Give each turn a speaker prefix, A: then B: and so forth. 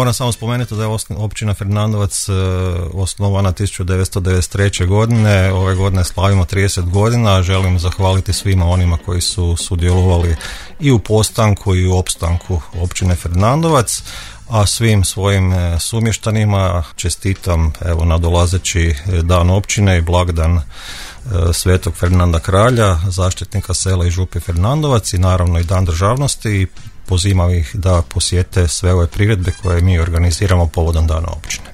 A: moram samo spomenuti da je općina Fernandovac osnovana 1993. godine. Ove godine slavimo 30 godina. Želim zahvaliti svima onima koji su sudjelovali i u postanku i u opstanku općine Fernandovac, a svim svojim sumještanima čestitam evo nadolazeći dan općine i blagdan Svetog Fernanda Kralja, zaštitnika sela i župe Fernandovac, i naravno i dan državnosti, i pozivam ih da posjete sve ove priredbe koje mi organiziramo povodom dana općine.